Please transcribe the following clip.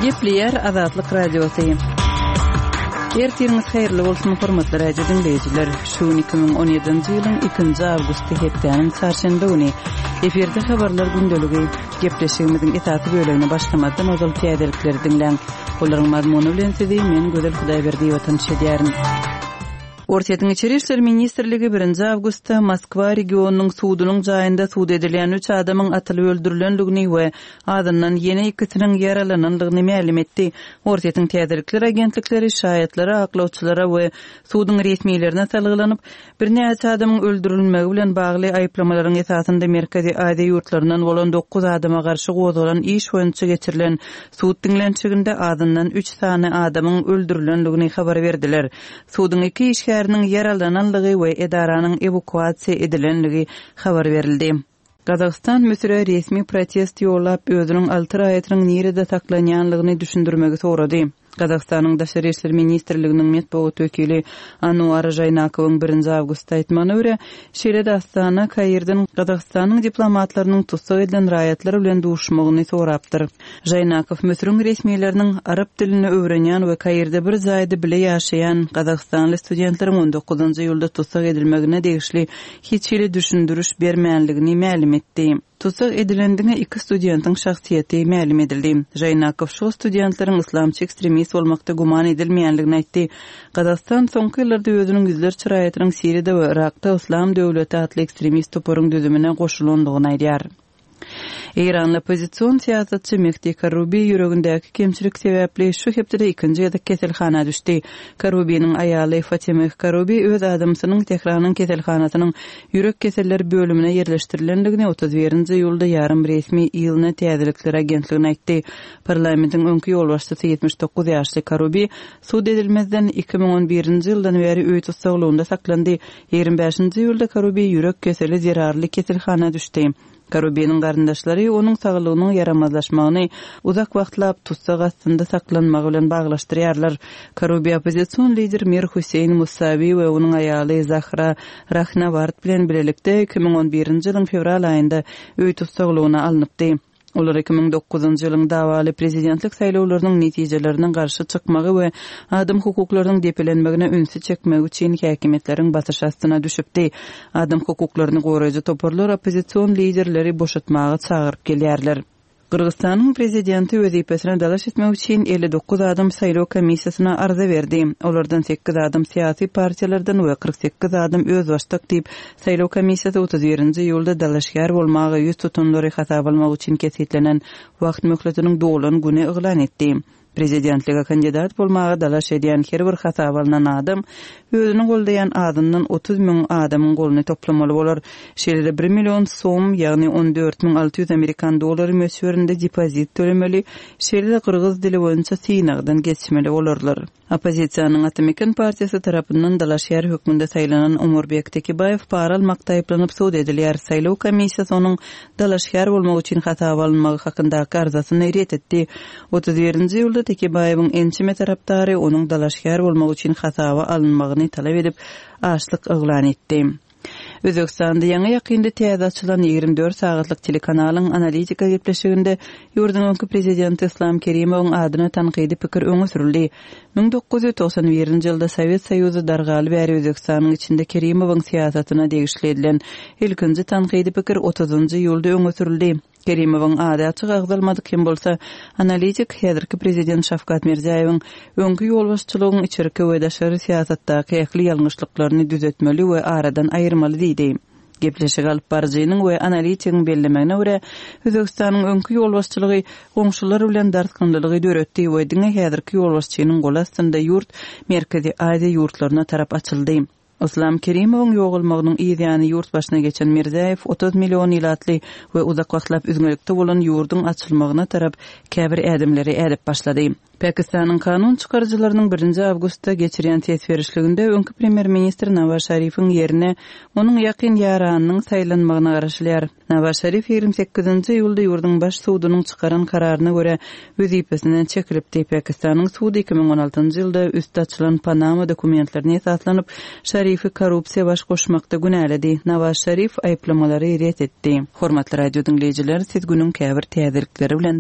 Gepleýär Azatlyk Radiosy. Ertiriňiz haýyrly bolsun, hormatly radio diňleýjiler. Şu gün 2017-nji ýylyň 2-nji awgusty hepdäniň çarşenbe güni. Efirde habarlar gündeligi. Gepleşigimiziň esasy bölegine başlamazdan ozal täzelikleri diňläň. Olaryň mazmuny bilen sizi men Gözel Hudaýberdiýewa tanyş edýärin. Orsýetiň Içeri işler ministrligi birinji awgustda Moskwa regionynyň sudunyň jaýynda sud edilýän üç adamyň atylyp öldürilendigini we azyndan ýene ikisiniň ýaralanandygyny mälim etdi. Orsýetiň täzelikler agentlikleri şaýatlara, aklawçylara we suduň resmilerine salgylanyp, Birnäçe adamyň öldürilmegi bilen bagly aýyplamalaryň esasynda Merkezi Aziýa ýurtlaryndan bolan dokuz adama garşy gozgalan iş boýunça geçirilen sud diňlenişiginde azyndan üç sany adamyň öldürilendigini habar berdiler. Suduň iki işgäriniň ýaralananlygy we edaranyň ewakuasiýa edilenligi habar berildi. Gazagystan Müsüre resmi protest ýollap, özüniň alty raýatynyň nirede saklanýanlygyny düşündirmegi sorady. Gazagystanyň Daşary işler ministrliginiň metbugat wekili Anuar Žaýnakowyň birinji awgustda aýtmagyna görä, şeýle-de Astana Kairden Gazagystanyň diplomatlarynyň tussag edilen raýatlar bilen duşmagyny sorapdyr. Žaýnakow Müsüriň resmileriniň arap dilini öwrenýän we Kairde bir jaýda bile ýaşaýan gazagystanly studentleriň on dokuzynjy iýulda tussag edilmegine degişli hiç hili düşündiriş bermänligini mälim etdi. Tussag edilen diňe iki studentiň şahsyýeti mälim edildi. Žaýnakow şol studentleriň yslamçy ekstremist bolmakda güman edilmeýänligini aýtdy. Gazagystan soňky ýyllarda özüniň ýüzlerçe raýatynyň Siriýada we Yrakda Yslam döwleti atly ekstremist toparyň düzümine goşulandygyny aýdýar. Eýranly oppozision syýasatçy Mehdi Karrubi ýüregindäki kemçilik sebäpli şu hepdede ikinji gezek keselhana düşdi. Karrubiniň aýaly Fatemeh Karrubi öz adamsynyň Tähranyň keselhanasynyň ýürek keselleri bölümine ýerleşdirilendigini 31-nji iýulda ýarym resmi ILNA täzelikler agentligine aýtdy. Parlamentiň öňki ýolbaşçysy 79 ýaşly Karrubi sud edilmezden 2011-nji ýyldan bäri öý tussaglygynda saklandy. 25-nji iýulda Karubi ýürek keseli zerarly keselhana düşdi. Karubiniň garyndaşlary onuň saglygynyň ýaramazlaşmagyny uzak wagtlap tussag astynda saklanmagy bilen baglaşdyrýarlar. Karubi oppozision lider Mir Hüseýin Musawi we onuň aýaly Zahra Rahnaward bilen bilelikde 2011-nji ýylyň fewral aýynda öý tussaglygyna alnypdy. Olar 2009-njy ýylyň dawaly prezidentlik saýlawlarynyň netijelerine garşy çykmagy we adam hukuklarynyň depelenmegine ünsi çekmegi üçin häkimiýetleriň basyşy astyna düşüpdi. Adam hukuklaryny goraýjy toparlar oppozision liderleri boşatmaga çagyryp gelýärler. Gyrgyzystanyň prezidenti wezipesine dalaş etmek üçin 59 adam saýlaw komissiýasyna arza berdi. Olardan sekiz adam syýasy partiýalardan we 48 adam özbaşdak diýip, Saýlaw komissiýasy 31-nji iýulda dalaşgär bolmaga ýüz tutanlary hasaba almak üçin kesgitlenen wagt möhletiniň dolan güni yglan etdi. Prezidentlige kandidat bolmaga dalaş edýän her bir hasaba alnan adam özüni goldaýan azyndan 30 müň adamyň goluny toplamaly bolar. Şeýle-de bir million som, ýagny 14 600 amerikan dollary möçberinde depozit tölemeli, şeýle-de gyrgyz dili boýunça synagdan geçmeli bolarlar. Oppozisiýanyň Ata-Meken partiýasy tarapyndan dalaşgär hökmünde saýlanan Omurbek Tekebaýew para almakda aýyplanyp sud edilýär. Saýlaw komissiýasy onuň dalaşgär bolmak üçin hasaba alynmagy hakyndaky arzasyny ret etdi. 31-nji iýulda Tekebaýewiň ençeme tarapdary onuň dalaşgär bolmak üçin hasaba alynmagyny talap edip, açlyk yglan etdi. Özbegistanda ýaňy-ýakynda täze açylan 24 sagatlyk telekanalyň Analitika gepleşiginde ýurduň öňki prezidenti Yslam Kerimowyň adyna tankydy pikir öňe sürüldi. 1991-nji ýylda Sowet Soýuzy dargaly bäri Özbegistanyň içinde Kerimowyň syýasatyna degişli edilen ilkinji tankydy pikir otuzynjy iýulda öňe sürüldi. Kerimowyň ady açyk agzalmadyk hem bolsa, analitik häzirki prezident Şawkat Mirziýaýewiň öňki ýolbaşçylygyň içerki we daşary syýasatdaky ähli ýalňyşlyklaryny düzetmeli we aradan aýyrmaly diýdi. Gepleşigi alyp baryjynyň we analitigiň bellemegine görä, Özbegistanyň öňki ýolbaşçylygy goňşular bilen dartgynlylygy döretdi we diňe häzirki ýolbaşçynyň goly astynda ýurt Merkezi Aziýa ýurtlaryna tarap açyldy. Yslam Kerimowyň ýogalmagynyň yz ýany ýurt başyna geçen Mirziýaýew 30 million ilatly we uzak wagtlap üzňelikde bolan ýurduň açylmagyna tarap käbir ädimleri ädip başlady. Pakistanyň kanun çykaryjylarynyň birinji awgustda geçirýän ses berişliginde öňki premýer-ministr Nawaz Şarifiň ýerine onuň ýakyn ýaranynyň saýlanmagyna garaşylýar. Nawaz Şarif 28-nji iýulda ýurduň baş sudunyň çykaran kararyna görä, wezipesinden çekilipdi. Pakistanyň sudy 2016-njy ýylda üsti açylan Panama dokumentlerine esaslanyp, Şarifi korrupsiýa baş goşmakda günäledi. Nawaz Şarif aýyplamalary ret etdi. Hormatly radio diňleýjiler, siz günüň käbir täzelikleri bilen.